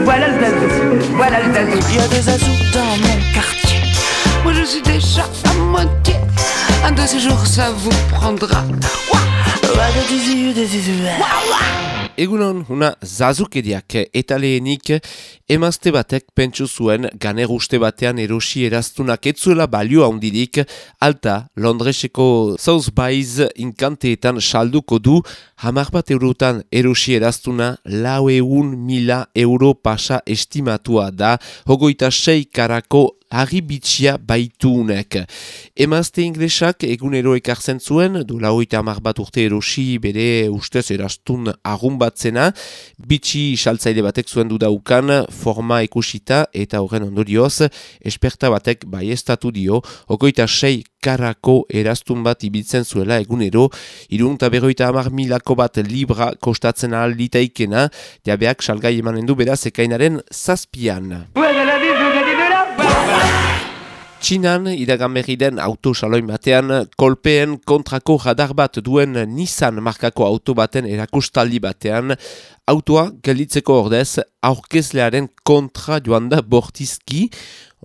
voilà le zazou, voilà le zazou. Il y a des zazous dans mon quartier. Moi je suis déjà à moitié. Un de ces jours ça vous prendra. Egunon, una zazukeriak eta lehenik emazte batek pentsu zuen ganer uste batean erosi eraztunak etzuela balio handirik, alta Londreseko Sotheby's inkanteetan salduko du 10 eurotan erosi eraztuna 400.000 euro pasa estimatua da, 26 karako harribitxia baituunek. Emazte inglesak egunero ekartzen zuen, du 50 urte erosi bere ustez eraztun argun batzena, bitxi saltzaile batek zuen dudaukan forma ikusita eta horren ondorioz, esperta batek baiestatu dio, 26 karako eraztun bat ibiltzen zuela egunero, 350.000 bat libra kostatzen ahal litaikena, jabeak salgai emanen du beraz ekainaren 7an. Txinan, iragan berri den autosaloin batean, kolpeen kontrako radar bat duen Nissan markako auto baten erakustaldi batean, autoa gelditzeko ordez aurkezlearen kontra joan da bortizki,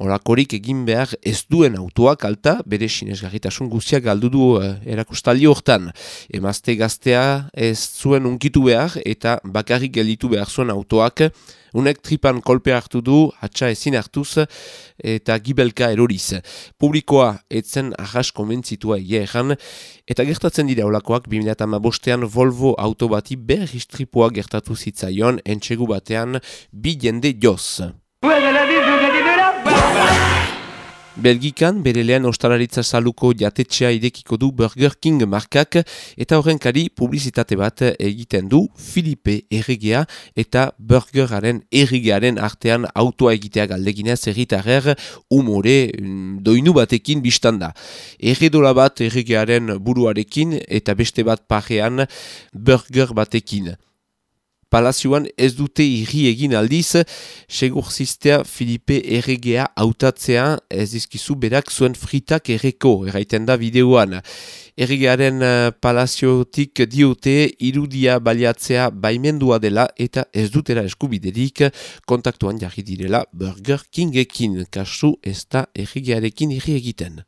orakorik egin behar ez duen autoak alta, bere sinesgarritasun guztiak galdu du erakustaldi hortan. Emazte gaztea ez zuen unkitu behar eta bakarrik gelditu behar zuen autoak, unek tripan kolpe hartu du, hatsa ezin hartuz eta gibelka eroriz. Publikoa etzen ahas konbentzitua egia erran, eta gertatzen dira olakoak 2015an Volvo auto bati berristripua gertatu zitzaion entsegu batean 2 jende joz. Belgikan bere lehen ostalaritza saluko jatetxea irekiko du Burger King markak eta horrenkari publizitate bat egiten du Filipe erregea eta burgeraren erregearen artean autoa egitea galdeginez herritarrer umore doinu batekin biztanda. Erredola bat erregearen buruarekin eta beste bat parean burger batekin. Palazioan ez dute irri egin aldiz, segurzistea Filipe erregea hautatzea ez dizkizu berak zuen fritak erreko, erraiten da bideoan. Erregearen palaziotik diote irudia baliatzea baimendua dela eta ez dutera eskubiderik kontaktuan jarri direla Burger Kingekin, kasu ez da erregearekin irri egiten.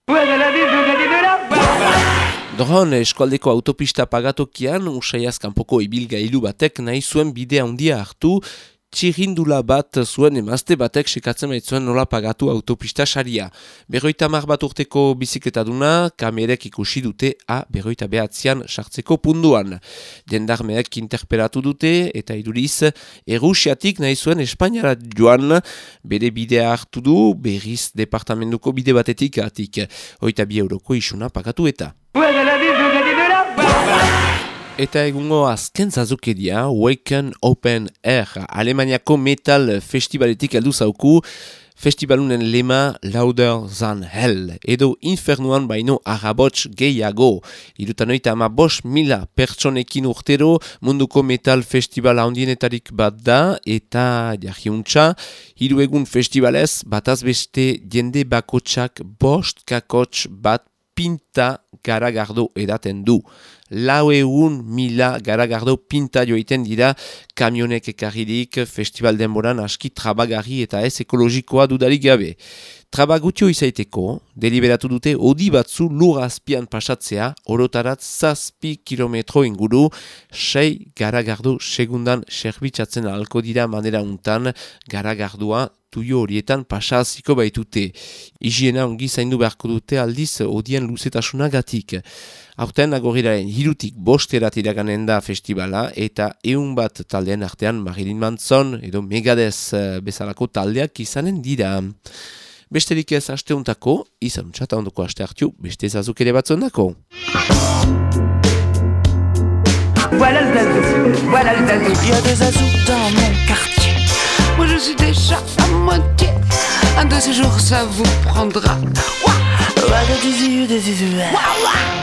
Doron, eskualdeko autopista pagatokian, usaiaz kanpoko ibilgailu batek nahi zuen bidea handia hartu, txirrindula bat zuen emazte batek sekatzen baitzuen nola pagatu autopista saria. 50 bat urteko bizikletaduna, kamerek ikusi dute A49an sartzeko punduan. Jendarmeek interpelatu dute eta iduriz, Errusiatik nahi zuen Espainiara joan, bere bidea hartu du, berriz departamentuko bide batetik atik. 22 euroko isuna pagatu eta. Eta egungo azken zazukeria, Waken Open Air, Alemaniako metal festivaletik heldu zauku, festivalunen lema Louder Than Hell, edo infernuan baino arabots gehiago. 75.000 pertsonekin urtero, munduko metal festivala handienetarik bat da, eta jarriuntza, 3 egun festivalez, bataz beste jende bakotsak 5 kakots bat pinta garagardo edaten du. 400.000 garagardo pinta joiten dira kamionek ekarririk festival denboran aski trabagarri eta ez ekologikoa dudarik gabe. Trabagutio izaiteko, deliberatu dute odi batzu lur azpian pasatzea, orotarat 7 kilometro inguru, 6 garagardo segundan serbitzatzen ahalko dira manera untan, garagardua tuio horietan pasaziko baitute. Higiena ongi zaindu beharko dute aldiz odien luzetasunagatik. Aurten agorriraren 3-tik 5 iraganen da festivala eta 100 bat taldean artean Marilyn Manson edo Megadeth bezalako taldeak izanen dira. Besterik ez asteuntako, izan txata ondoko aste hartu, beste zazuk ere batzondako. Voilà le zazou, voilà le zazou. Il y a des zazous dans mon quartier. Moi je suis déjà à moitié. Un de ces jours ça vous prendra. Ouah, ouah, ouah.